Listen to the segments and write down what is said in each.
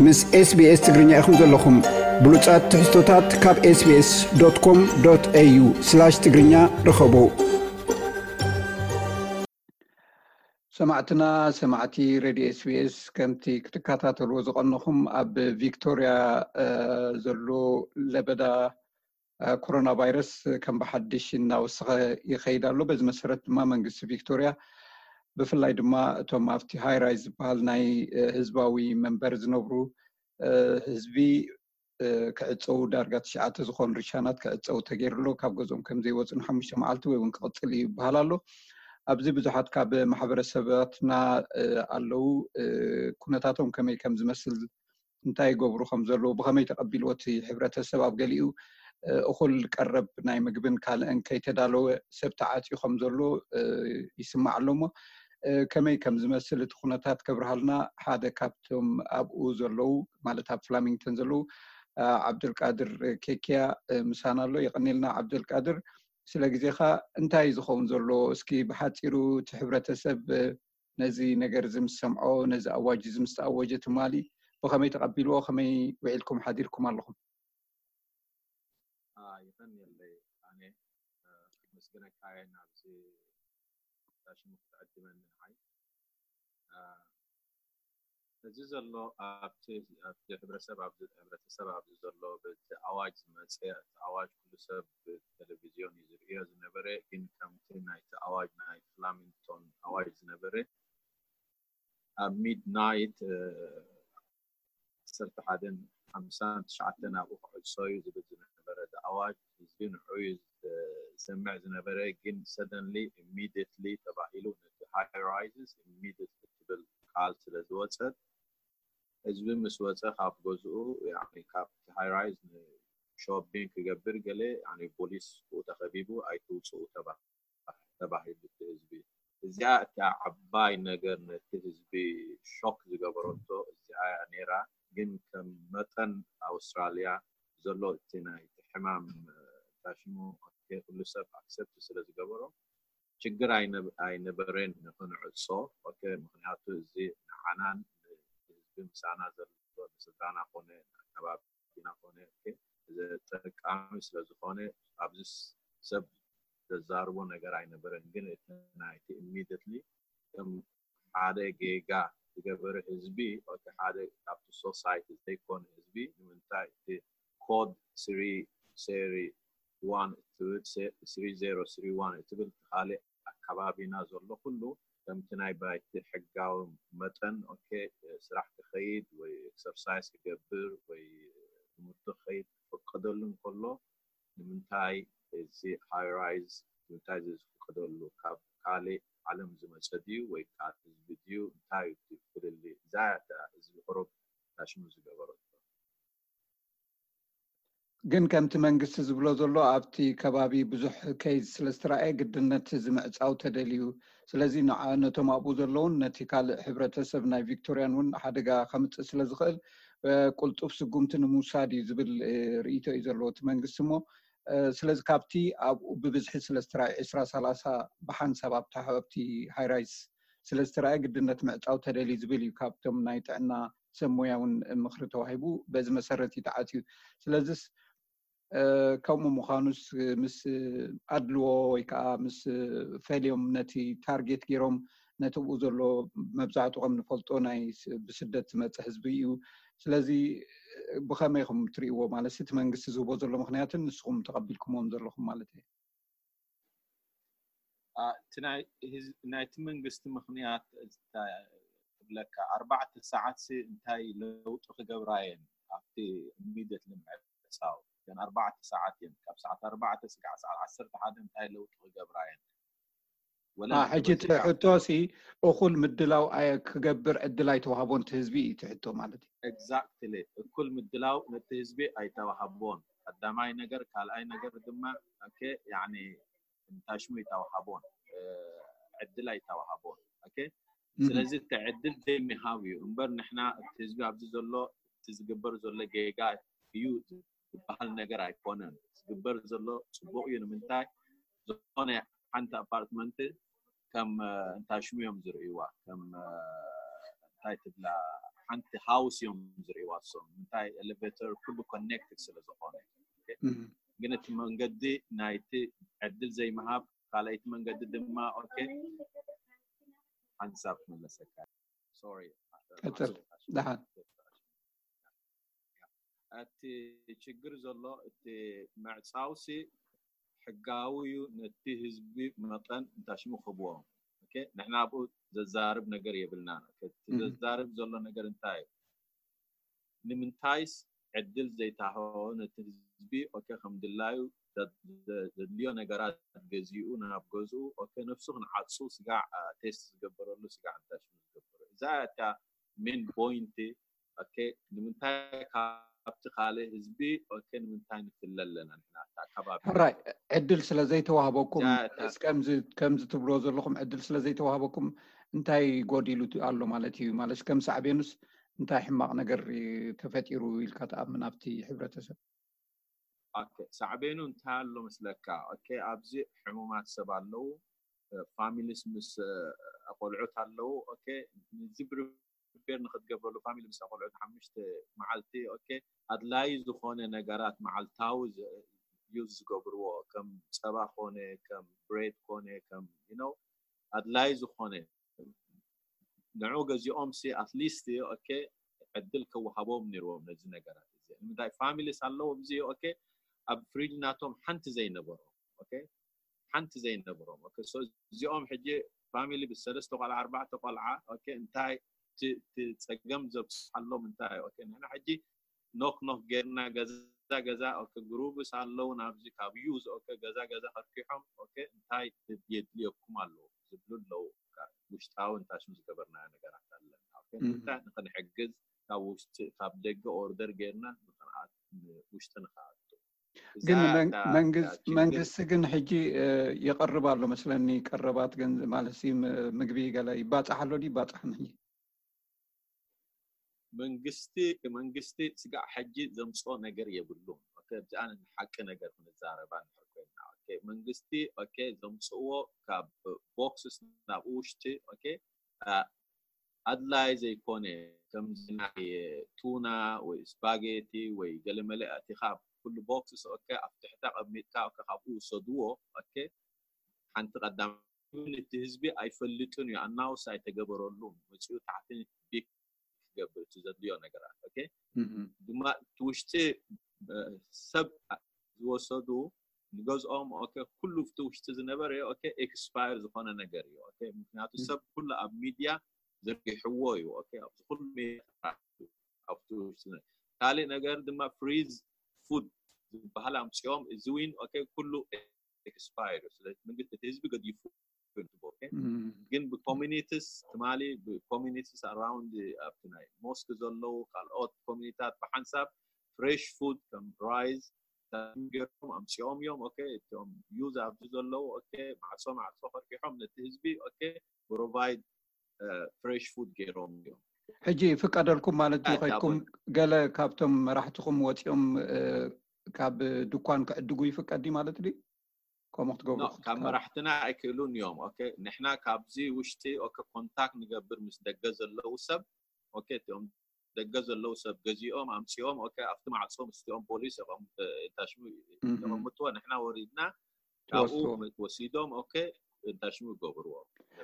ምስ SBS ትግርኛ ኢኹም ዘለኹም። ብሉጻት ትሕዝቶታት ካብ SBS.com.au/ትግርኛ ርኸቡ። ሰማዕትና፣ ሰማዕቲ ሬድዮ SBS፣ ከምቲ ክትከታተልዎ ዝቐነኹም፣ ኣብ ቪክቶርያ፣ እ፣ ዘሎ ለበዳ፣ እ፣ ኮሮና ቫይረስ ከም ብሓድሽ እናወሰኸ ይኸይድ ኣሎ። በዚ መሰረት ድማ መንግስቲ ቪክቶርያ፣ ብፍላይ ድማ እቶም ኣብቲ ሃይ ራይዝ ዝበሃል ናይ፣ እ፣ ህዝባዊ መንበሪ ዝነብሩ፣ እ፣ ህዝቢ፣ እ፣ ክዕፀዉ፣ ዳርጋ ትሽዓተ ዝኾኑ ሪሻናት ክዕፀዉ ተገይሩ ኣሎ። ካብ ገዝኦም ከም ዘይወፁ ንሓሙሽተ መዓልቲ ወይ እውን ክቕፅል እዩ ይበሃል ኣሎ። ኣብዚ ብዙሓት ካብ ማሕበረሰባትና፣ እ፣ ኣለዉ። እ፣ ኩነታቶም ከመይ ከም ዝመስል፣ እንታይ ይገብሩ ከም ዘለዉ፣ ብኸመይ ተቐቢልዎ እቲ ሕብረተሰብ፣ ኣብ ገሊኡ፣ እ፣ እኹል ቀረብ ናይ ምግብን ካልእን ከይተዳለወ ሰብ ተዓፅዩ ከም ዘሎ፣ እ፣ ይስማዕ ኣሎ። እሞ፣ እ፣ ከመይ ከም ዝመስል እቲ ኩነታት ከብርሃልና ሓደ ካብቶም ኣብኡ ዘለዉ፣ ማለት ኣብ ፍላሚንግተን ዘለዉ፣ እ፣ ዓብዱልቃድር ኬኪያ፣ እ፣ ምሳና ኣሎ። የቐኔልና ዓብዱልቃድር፣ ስለ ግዜኻ። እንታይ እዩ ዝኸውን ዘሎ? እስኪ ብሓፂሩ እቲ ሕብረተሰብ፣ እ፣ ነዚ ነገር እዚ ምስ ሰምዖ፣ ነዚ ኣዋጅ እዚ ምስ ተኣወጀ ትማሊ ብኸመይ ተቐቢልዎ? ከመይ ውዒልኩም ሓዲርኩም ኣለኹም? አ፣ ይቐንየለይ ኣነ፣ አ፣ ከመስግነካ እየ ናብዚ ሽሙ ክትዕድመኒ ንዓይ። አ፣ እዚ ዘሎ ኣብቲ፣ ኣብቲ ሕብረተሰብ ኣብዚ፣ ሕብረተሰብ ኣብዚ ዘሎ በቲ ኣዋጅ ዝመፀ፣ እቲ ኣዋጅ ኩሉ ሰብ ብቴሌቪዝዮን እዩ ዝርእዮ ዝነበረ፣ ግን ከምቲ ናይቲ ኣዋጅ ናይ ፍላሚንግቶን ኣዋጅ ዝነበረ ኣብ ሚድናይት፣ እ፣ ዓሰርተ ሓደን ሓምሳን ትሽዓተን ኣብኡ ክዕጾ እዩ ዝብል ዝነበረ እቲ ኣዋጅ፣ ህዝቢ ንዑ እዩ ዝሰምዕ ዝነበረ። ግን ሰደንሊ፣ ኢሚድየትሊ ተባሂሉ፣ ነቲ ሃይ ራይዝስ ኢሚድየትሊ ትብል ቃል ስለ ዝወጸት፣ ህዝቢ ምስ ወጸ ካብ ገዝኡ፣ ያኒ ካብቲ ሃይ ራይዝ ንሾፒንግ ክገብር ገለ፣ ያኒ ፖሊስ ብኡ ተኸቢቡ፣ ኣይትውጽኡ ተባ-፣ ተባሂሉ እቲ ህዝቢ። እዚኣ እታ ዓባይ ነገር ነቲ ህዝቢ ሾክ ዝገበረቶ እዚኣ እያ ነይራ። ግን ከም መጠን ኣውስትራልያ ዘሎ እቲ ናይ ሕማም፣ እ፣ ታሽሙ፣ ኦኬ፣ ኩሉ ሰብ ኣክሰፕት ስለ ዝገበሮ ችግር ኣይነ-፣ ኣይነበረን ንክንዕጾ። ኦኬ፣ ምክንያቱ እዚ ንዓናን ንህዝቢ ምሳና ዘሎ ንስድራና ኮነ ንኣከባቢና ኮነ፣ ኦኬ፣ ዘጠቃሚ ስለ ዝኾነ ኣብዚ ስ-፣ ሰብ ዘዛርቦ ነገር ኣይነበረን። ግን እቲ ናይቲ ኢሚድየትሊ ከም ሓደ ጌጋ ዝገበረ ህዝቢ፣ ኦኬ፣ ሓደ ካብቲ ሶሳይቲ ዘይኮነ ህዝቢ፣ ንምንታይ እቲ ኮድ ስሪ ዜሮ ዋን እትብል፣ ሴ-፣ ስሪ ዜሮ ስሪ ዋን እትብል፣ እቲ ካልእ ኣከባቢና ዘሎ ኩሉ ከምቲ ናይ ባይቲ ሕጋዊ መጠን፣ ኦኬ፣ ስራሕ ክኸይድ ወይ ኤክሰርሳይዝ ክገብር ወይ ትምህርቱ ክኸይድ ክፍቀደሉ እንከሎ፣ ንምንታይ እዚ ሃይ ራይዝ፣ ንምንታይ እዚ ዝፍቀደሉ? ካብ ካልእ ዓለም ዝመጸ ድዩ ወይ ካብ ህዝቢ ድዩ? እንታይ እዩ እቲ ፍልልይ? እዛ እያ እታ ህዝቢ ቁሩብ ታሽሙ ዝገበረቶ። ግን ከምቲ መንግስቲ ዝብሎ ዘሎ፣ ኣብቲ ከባቢ ብዙሕ ኬዝ ስለ ዝተራእየ፣ ግድን ነቲ እዚ ምዕጻው ተደልዩ። ስለዚ ንዓ-፣ ነቶም ኣብኡ ዘለውን ነቲ ካልእ ሕብረተሰብ ናይ ቪክቶርያን እውን ሓደጋ ከምጽእ ስለ ዝኽእል፣ እ፣ ቁልጡፍ ስጉምቲ ንምውሳድ እዩ ዝብል፣ እ፣ ርእይቶ እዩ ዘለዎ እቲ መንግስቲ። እሞ፣ እ፣ ስለዚ ካብቲ ኣብኡ ብብዝሒ ስለ ዝተራእየ፣ ዕስራ ሰላሳ ብሓንሳብ ኣብታ፣ ኣብቲ ሃይ ራይዝ ስለ ዝተራእየ፣ ግድን ነቲ ምዕጻው ተደልዩ ዝብል እዩ ካብቶም ናይ ጥዕና ሰብ ሞያ እውን ምኽሪ ተዋሂቡ፣ በዚ መሰረት እዩ ተዓጽዩ። ስለዚስ፣ እ፣ ከምኡ ምዃኑስ፣ ምስ ኣድልዎ ወይ ከዓ ምስ ፈልዮም ነቲ ታርጌት ገይሮም ነቲ ብኡ ዘሎ መብዛሕትኡ ከም ንፈልጦ ናይ ስ-፣ ብስደት ዝመጽእ ህዝቢ እዩ። ስለዚ ብኸመይ ኢኹም ትርእይዎ? ማለት እቲ መንግስቲ ዝህቦ ዘሎ ምኽንያትን ንስኹም ተቐቢልኩምዎም ዘለኹም ማለት እዩ። አ፣ እቲ ናይ ህዝ-፣ ናይቲ መንግስቲ ምኽንያት እንታይ ክብለካ፣ ኣርባዕተ ሰዓት ሲ እንታይ ለውጢ ክገብራ እየን ኣብቲ ኢሚድየት ንምዕጻው? እተን ኣርባዕተ ሰዓት እየን፣ ካብ ሰዓት ኣርባዕተ ስጋዕ ሰዓት ዓሰርተ ሓደ እንታይ ለውጢ ክገብራ እየን? ወላ አ፣ ሕጂ እቲ ንሕብረተሰብ ሕቶ ሲ እኹል ምድላው ኣየ-፣ ክገብር ዕድል ኣይተዋህቦን እቲ ህዝቢ እዩ እቲ ሕቶ ማለት እዩ። ኤግዛክትሊ፣ እኩል ምድላው ነቲ ህዝቢ ኣይተዋህቦን። ቀዳማይ ነገር፣ ካልኣይ ነገር ድማ፣ ኦኬ፣ ያኒ፣ ታሽሙ ኣይተዋህቦን፣ እ፣ ዕድል ኣይተዋህቦን። ኦኬ፣ እህ። ስለዚ እቲ ዕድል ዘይምሃብ እዩ እምበር፣ ንሕና እቲ ህዝቢ ኣብዚ ዘሎ፣ እቲ ዝግበር ዘሎ ጌጋ እዩ ዝበሃል ነገር ኣይኮነን። ዝግበር ዘሎ ጽቡቕ እዩ። ንምንታይ ዝኾነ ሓንቲ ኣፓርትመንት ከም፣ እ፣ እንታሽሙ እዮም ዝርእይዋ፣ ከም፣ እ፣ እንታይ ትብላ፣ ሓንቲ ሃውስ እዮም ዝርእይዋ እሶም። እንታይ? ኤሌቬተር ኩሉ ኮኔክትድ ስለ ዝኾነ። ኦኬ? እም፣ ግን እቲ መንገዲ ናይቲ ዕድል ዘይምሃብ፣ ካልኣይቲ መንገዲ ድማ፣ ኦኬ፣ ሓንሳብ ክመለሰካ። ሶሪ። ቀጽል። ደሓን። እቲ ችግር ዘሎ፣ እቲ ምዕጻውሲ ሕጋዊ እዩ፣ ነቲ ህዝቢ መጠን እንታሽሙ ክህብዎ። ኦኬ፣ ንሕና ኣብኡ ዘዛርብ ነገር የብልናን። ኦኬ፣ እቲ እም። ዘዛርብ ዘሎ ነገር እንታይ እዩ? ንምንታይስ ዕድል ዘይተሃቦ ነቲ ህዝቢ፣ ኦኬ፣ ከም ድላዩ ዘ-፣ ዘ-፣ ዘድልዮ ነገራት ገዚኡ ናብ ገዝኡ፣ ኦኬ፣ ነፍሱ ክንዓጹ ስጋዕ፣ አ፣ ቴስት ዝገበረሉ ስጋዕ እንታሽሙ ዝገበሩ። እዛ እታ ሜን ፖይንቲ። ኦኬ፣ ንምንታይ ካብቲ ካልእ ህዝቢ፣ ኦኬ፣ ንምንታይ ንፍለ ኣለና ንሕና ኣብቲ ኣከባቢ? ሕራይ፣ ዕድል ስለ ዘይተዋህበኩም፣ እዛ እታ ከምዚ፣ ከምዚ ትብሎ ዘለኹም ዕድል ስለ ዘይተዋህበኩም እንታይ ጎዲሉ ኣሎ ማለት እዩ? ማለት ከም ሳዕቤኑስ እንታይ ሕማቕ ነገር ተፈጢሩ ኢልካ ትኣምን ኣብቲ ሕብረተሰብ? ኦኬ፣ ሳዕቤኑ እንታይ ኣሎ መስለካ? ኦኬ፣ ኣብዚ ሕሙማት ሰብ ኣለዉ፣ ፋሚሊስ ምስ፣ እ፣ ኣቆልዑት ኣለዉ። ኦኬ፣ ንዚ ፕሪፔር ንክትገብረሉ ፋሚሊ ምስ ኣቆልዑት ሓሙሽተ መዓልቲ፣ ኦኬ፣ ኣድላይ ዝኾነ ነገራት መዓልታዊ ዝ-፣ ዩዝ ዝገብርዎ፣ ከም ጸባ ኮነ፣ ከም ብሬድ ኮነ፣ ከም፣ you know፣ ኣድላይ ዝኾነ ንዑ ገዚኦም ሲ ኣትሊስት፣ ኦኬ፣ ዕድል ከወሃቦም ነይርዎም ነዚ ነገራት እዚ። ንምንታይ ፋሚሊስ ኣለዎም እዚ፣ ኦኬ፣ ኣብ ፍሪጅ ናቶም ሓንቲ ዘይነበሮም፣ ኦኬ፣ ሓንቲ ዘይነበሮም። ኦኬ፣ ሶ እዚኦም ሕጂ ፋሚሊ ብሰለስተ ቆልዓ፣ ኣርባዕተ ቆልዓ፣ ኦኬ፣ እንታይ እቲ፣ እቲ ጸገም ዘብጽሓሎም እንታይ? ኦኬ፣ ንሕና ሕጂ ኖክ ኖክ ጌርና ገዛ ገዛ፣ ኦኬ፣ ግሩብስ ኣለዉ ናብዚ ካብ ዩዝ፣ ኦኬ፣ ገዛ ገዛ ከርኪሖም፣ ኦኬ፣ እንታይ የድልየኩም ኣለዉ ዝብሉ ኣለዉ። ካብ ውሽጣዊ እንታሽም ዝገበርናዮ ነገራት ኣለና። ኦኬ፣ እም። እንታይ ንኽንሕግዝ ካብ ውሽጢ፣ ካብ ደገ ኦርደር ጌርና ንኽንኣት-፣ ውሽጢ ንኽኣቱ። እዛ ግን መን-፣ እታ፣ መንግስ-፣ እታ ችግር መንግስቲ ግን ሕጂ፣ እ፣ የቕርብ ኣሎ መስለኒ፣ ቀረባት ገንዘብ ማለት ሲ፣ ም-፣ ምግቢ ገለ ይባጻሕ ኣሎ ድዩ? ይባጻሕን ሕጂ? መንግስቲ፣ መንግስቲ ስጋዕ ሕጂ ዘምጽኦ ነገር የብሉን። ኦኬ፣ ኣብዚኣ ንሓቂ ነገር ክንዛረባ እንድሕር ኮይና፣ ኦኬ፣ መንግስቲ፣ ኦኬ፣ ዘምጽእዎ ካብ ቦክስስ ናብ ውሽጢ፣ ኦኬ፣ አ-፣ ኣድላይ ዘይኮነ፣ ከምዚ ናይ ቱና ወይ ስፓጌቲ ወይ ገለመለ ኣእቲኻ ኣብ ኩሉ ቦክስስ፣ ኦኬ፣ ኣብ ትሕቲ ኣቐሚጥካ፣ ኦኬ፣ ካብኡ ውሰድዎ፣ ኦኬ፣ ሓንቲ ቀዳም እቲ ህዝቢ ኣይፈልጥን እዩ፣ ኣናውስ ኣይተገበረሉን፣ መጺኡ ታሕቲ ቢክ ክገብር እቲ ዘድልዮ ነገራት። ኦኬ፣ እም። ድማ እቲ ውሽጢ፣ እ፣ ሰብ ዝወሰዱ ንገዝኦም፣ ኦኬ፣ ኩሉ እቲ ውሽጢ ዝነበረ፣ ኦኬ፣ ኤክስፓየር ዝኾነ ነገር እዩ። ኦኬ፣ ምክንያቱ እም። ሰብ ኩሉ ኣብ ሚድያ ዘርጊሕዎ እዩ። ኦኬ፣ ኣብዚ ኩሉ ሚድያ ኣብቲ ውሽጢ ዝነ-፣ ካልእ ነገር ድማ ፍሪዝ ፉድ ዝበሃል ኣምጺኦም፣ እዚ ዊን፣ ኦኬ፣ ኩሉ ኤክስፓየር እዩ። ስለዚ መንግስቲ እቲ ህዝቢ ገዲፉ እዩ። ኦኬ፣ እም። ግን ብኮሚኒቲስ ትማሊ ብኮሚኒቲስ ኣራውንድ ኣብቲ ናይ ሞስክ ዘለዉ ካልኦት ኮሚኒታት ብሓንሳብ ፍሬሽ ፉድ ከም ራይዝ ገይሮም ኣምጺኦም እዮም። ኦኬ፣ እቶም ዩዝ ኣብዚ ዘለዉ፣ ኦኬ፣ ማዕጾ ማዕጾ ከርጊሖም ነቲ ህዝቢ፣ ኦኬ፣ ፕሮቫይድ ፍሬሽ ፉድ ገይሮም እዮም። ሕጂ ይፍቀደልኩም ማለት ድዩ? ኣይ፣ ከይድኩም ዳቦ- ገለ ካብቶም መራሕትኹም ወጺኦም፣ እ፣ ካብ ድኳን ክዕድጉ ይፍቀድ ድዩ ማለት ድዩ? ከምኡ ክትገብሩ ኖ፣ ካብ ክትከ-፣ መራሕትና ኣይክእሉን እዮም። ኦኬ፣ ንሕና ካብዚ ውሽጢ፣ ኦኬ፣ ኮንታክት ንገብር ምስ ደገ ዘለዉ ሰብ። ኦኬ፣ እቲኦም ደገ ዘለዉ ሰብ ገዚኦም ኣምጺኦም፣ ኦኬ፣ ኣብቲ ማዕጾ ምስቲኦም ፖሊስ የቐም-፣ እ፣ ታሽሙ እም። የቐምጥዎ፣ ንሕና ወሪድና ካብኡ ትወስድዎ። መ-፣ ወሲዶም፣ ኦኬ፣ ታሽሙ ይገብርዎ።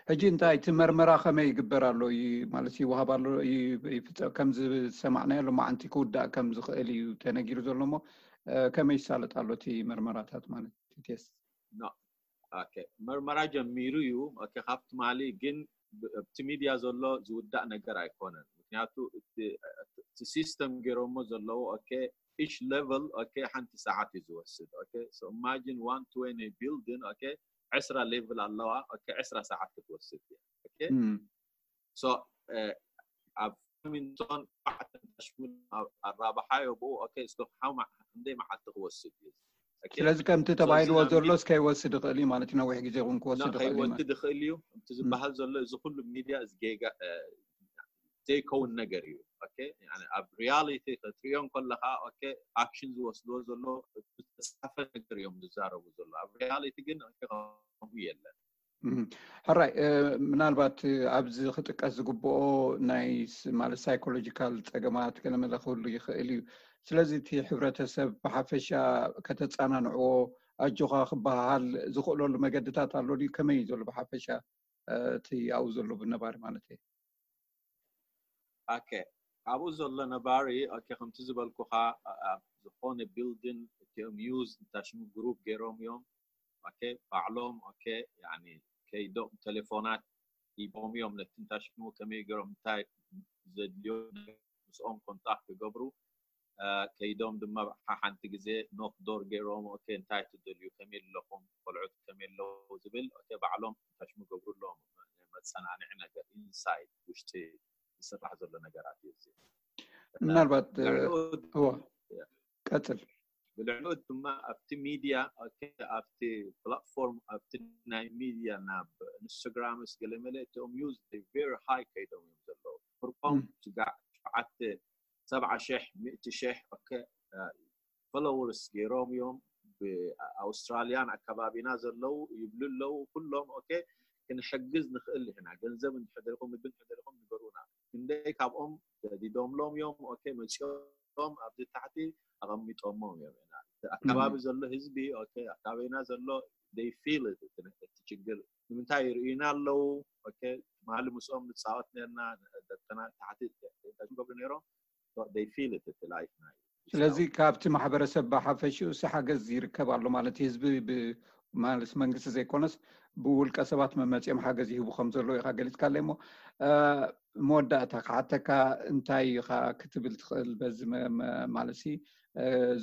ሕጂ እንታይ እቲ መርመራ ከመይ ይግበር ኣሎ? ይ-፣ ማለት ይወሃብ ኣሎ፣ ይ-፣ ይፍጸ-፣ ከምዚ ዝሰማዕናዮ ሎማዓንቲ ክውዳእ ከም ዝኽእል እዩ ተነጊሩ ዘሎ እሞ፣ እ፣ ከመይ ይሳለጥ ኣሎ እቲ መርመራታት ማለት እቲ ቴስት? ኖ። ኦኬ፣ መርመራ ጀሚሩ እዩ። ኦኬ፣ ካብ ትማሊ ግን ብ-፣ ኣብቲ ሚድያ ዘሎ ዝውዳእ ነገር ኣይኮነን። ምክንያቱ እቲ፣ እቲ ሲስተም ገይሮሞ ዘለዉ፣ ኦኬ፣ ኢች ሌቨል፣ ኦኬ፣ ሓንቲ ሰዓት እዩ ዝወስድ። ኦኬ፣ so imagine one twenty building፣ ኦኬ፣ ዕስራ ሌቭል ኣለዋ። ኦኬ፣ ዕስራ ሰዓት ክትወስድ እያ። ኦኬ፣ እም። so፣ እ፣ ኣብ ሚንቶን ኣርባዕተ ሽሙን ኣብ ኣራብሓዮ ብኡ፣ ኦኬ፣ እስከ ሓው መዓ-፣ ክንደይ መዓልቲ ክወስድ እዩ? ኦኬ፣ ስለዚ ከምቲ so ተባሂልዎ እዚ ናብ ዘሎስ ሚድ-፣ ከይወስድ ይኽእል እዩ ማለት ነዊሕ ግዜ እውን ክወስድ ኖ፣ ይኽእል እዩ ከይወስድ ማለት። ይኽእል እዩ። እቲ እም። ዝበሃል ዘሎ እዚ ኩሉ ሚድያ እዚ ጌጋ፣ እ፣ ዘይከውን ነገር እዩ። ኦኬ፣ ያኒ ኣብ ሪያሊቲ ክትሪኦ እንከለኻ፣ ኦኬ፣ ኣክሽን ዝወስድዎ ዘሎ ዝተጻፈ ነገር እዮም ዝዛረቡ ዘሎ። ኣብ ሪያሊቲ ግን፣ ኦኬ፣ ከምኡ የለን። ሕራይ ምናልባት ኣብዚ ክጥቀስ ዝግብኦ ናይ ማለት ሳይኮሎጂካል ፀገማት ገለመለ ክህሉ ይኽእል እዩ። ስለዚ እቲ ሕብረተሰብ ብሓፈሻ ከተፃናንዕዎ ኣጆኻ ክበሃል ዝኽእለሉ መገድታት ኣሎ ድዩ? ከመይ እዩ ዘሎ ብሓፈሻ እቲ ኣብኡ ዘሎ ነባሪ ማለት እዩ? ኦኬ፣ ኣብኡ ዘሎ ነባሪ ኦኬ፣ ከምቲ ዝበልኩኻ ኣብ ዝኾነ ቢልዲን እቲኦም ዩዝ እንታሽሙ ግሩፕ ገይሮም እዮም። ኦኬ፣ ባዕሎም ኦኬ፣ ያኒ ከይዶም ቴሌፎናት ሂቦም እዮም ነቲ እንታሽሙ ከመይ ገይሮም እንታይ ዘድልዮ ምስኦም ኮንታክት ክገብሩ ከይዶም ድማ ሓንቲ ግዜ ኖክ ዶር ገይሮም ኦኬ እንታይ ትደልዩ ከመይ ኣለኹም ቆልዑት ከመይ ኣለዉ ዝብል ኦኬ ባዕሎም እንታሽሙ ገብሩ ኣለዎም መፀናንዒ ነገር ኢንሳይድ ውሽጢ ዝስራሕ ዘሎ ነገራት እዩ እዚ ምናልባት ቀፅል ብልዕሉ ድማ ኣብቲ ሚድያ ኣብቲ ፕላትፎርም ኣብቲ ናይ ሚድያ ናብ ኢንስታግራምስ ገለመለ እቶም ዩዝ ቨሪ ሃይ ከይዶም እዮም ዘለዉ ፍርቆም ስጋዕ ሸዓተ ሰብዓ ሽሕ ሚእቲ ሽሕ ፎሎወርስ ገይሮም እዮም ብኣውስትራልያን ኣካባቢና ዘለዉ ይብሉ ኣለዉ ኩሎም ኦኬ ክንሕግዝ ንኽእል ኢና ገንዘብ እንድሕደልኩም ምግቢ እንድሕደልኩም ንገሩና ክንደይ ካብኦም ተዲዶምሎም እዮም ኦኬ መፂኦም ኣብዚ ታሕቲ ኣቐሚጦሞም እዮም ኣካባቢ ዘሎ ህዝቢ ኣካባቢና ዘሎ ፊል እቲ ችግር ንምንታይ ይርእዩና ኣለዉ ትማሊ ምስኦም ንፃወት ነርና ደቅና ታሕቲ ገብሩ ነይሮም ፊል እቲ ላይፍና እዩ ስለዚ ካብቲ ማሕበረሰብ ብሓፈሽኡ ሲ ሓገዝ ይርከብ ኣሎ ማለት ህዝቢ ማለት መንግስቲ ዘይኮነስ ብውልቀ ሰባት መመፂኦም ሓገዝ ይህቡ ከም ዘለዉ ኢካ ገሊፅካለይ እሞ መወዳእታ ክሓተካ እንታይ ኢኻ ክትብል ትኽእል በዚ ማለት ሲ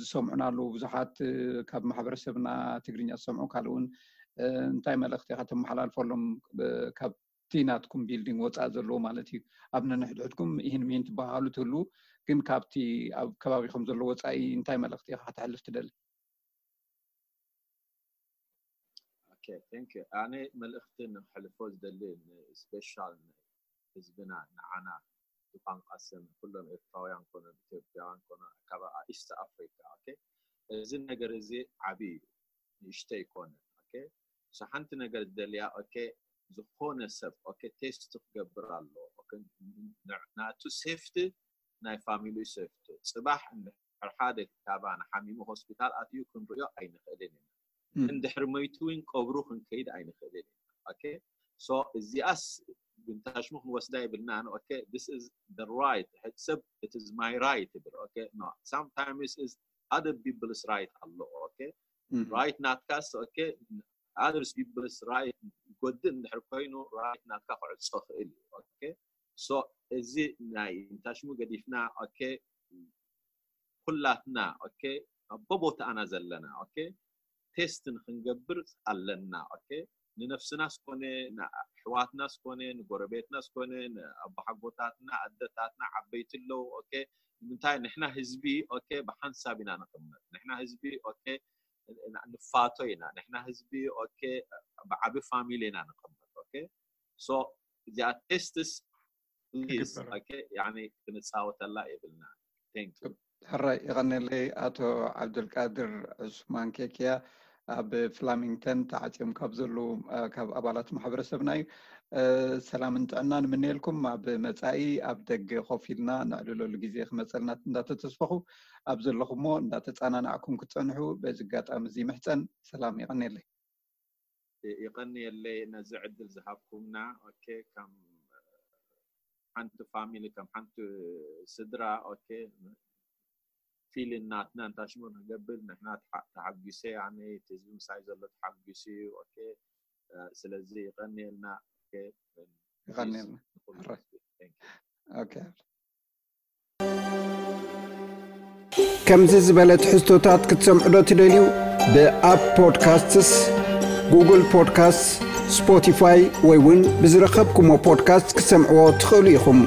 ዝሰምዑና ኣለዉ ብዙሓት ካብ ማሕበረሰብና ትግርኛ ዝሰምዑ ካልእ እውን እንታይ መልእኽቲ ኢኻ ተመሓላልፈሎም ካብ እቲ ናትኩም ቢልዲንግ ወፃኢ ዘለዎ ማለት እዩ ኣብ ነንሕድሕድኩም ይህን ሚህን ትበሃሉ ትህልዉ ግን ካብቲ ኣብ ከባቢኹም ዘሎ ወፃኢ እንታይ መልእኽቲ ኢኻ ከተሕልፍ ትደሊ ኦኬ ቴንክ ዩ ኣነ መልእኽቲ ንክሕልፎ ዝደሊ ስፔሻል ህዝብና ንዓና ብቋንቋ ስም ኩሎም ኤርትራውያን ኮነ ኢትዮጵያውያን ኮነ ካብ ኢስት ኣፍሪካ ኦኬ እዚ ነገር እዚ ዓብዪ እዩ ንእሽተይ ኮነ ኦኬ ሓንቲ ነገር ዝደልያ ኦኬ ዝኾነ ሰብ ኦኬ ቴስት ክገብር ኣለዎ ናቱ ሴፍቲ ናይ ፋሚሊ ሴፍቲ ፅባሕ እንድሕር ሓደ ካባና ሓሚሙ ሆስፒታል ኣትዩ ክንርእዮ ኣይንኽእልን ኢና እንድሕር መይቱ እውን ቀብሩ ክንከይድ ኣይንኽእልን ኢና ኦኬ ሶ እዚኣስ ብንታሽሙ ክንወስዳ የብልናን ኦኬ this is the right ሕድ ሰብ it is my right ይብል ኦኬ no sometimes is other people's right ኣሎ ኦኬ right ናትካስ ኦኬ others people's right ጎድእ እንድሕር ኮይኑ right ናትካ ክዕፆ ክእል እዩ ኦኬ so እዚ ናይ እንታሽሙ ገዲፍና ኦኬ ኩላትና ኦኬ በቦታና ዘለና ኦኬ ቴስት ንክንገብር ኣለና ኦኬ ንነፍስናስ ኮነ ንኣሕዋትናስ ኮነ ንጎረቤትናስ ኮነ ንኣቦሓጎታትና ኣደታትና ዓበይቲ ኣለዉ ኦኬ ንምንታይ ንሕና ህዝቢ ኦኬ ብሓንሳብ ኢና ንቕመጥ ንሕና ህዝቢ ኦኬ ንፋቶ ኢና ንሕና ህዝቢ ኦኬ ብዓቢ ፋሚሊ ኢና ንቕመጥ ኦኬ so እዚኣ ቴስትስ ፕሊዝ ክንፃወተላ የብልና ሕራይ ይቐነለይ ኣቶ ዓብዱልቃድር ዑስማን ኬክያ ኣብ ፍላሚንግተን ተዓፅዮም ካብ ዘለዉ ካብ ኣባላት ማሕበረሰብና እዩ ሰላምን ጥዕና ንምንየልኩም ኣብ መፃኢ ኣብ ደገ ኮፍ ኢልና ነዕልለሉ ግዜ ክመፀልና እንዳተተስፈኹ ኣብ ዘለኹሞ እንዳተፃናናዕኩም ክትፀንሑ በዚ ኣጋጣሚ እዚ ምሕፀን ሰላም ይቐነለይ ይቐንየለይ ነዚ ዕድል ዝሃብኩምና ኦኬ ከም ሓንቲ ፋሚሊ ከም ሓንቲ ስድራ ኦኬ ፊልን ናትና እንታሽሙ ንገብር ንሕና ተሓጒሰ ኣነ እቲ ህዝቢ ምሳይ ዘሎ ተሓጒሱ እዩ ኦኬ ስለዚ ይቐንየልና ይቐንየልና ኦኬ ከምዚ ዝበለ ትሕዝቶታት ክትሰምዑ ዶ ትደልዩ? ብኣፕ ፖድካስትስ፣ ጉግል ፖድካስትስ፣ ስፖቲፋይ ወይ እውን ብዝረኸብኩሞ ፖድካስት ክትሰምዕዎ ትኽእሉ ኢኹም።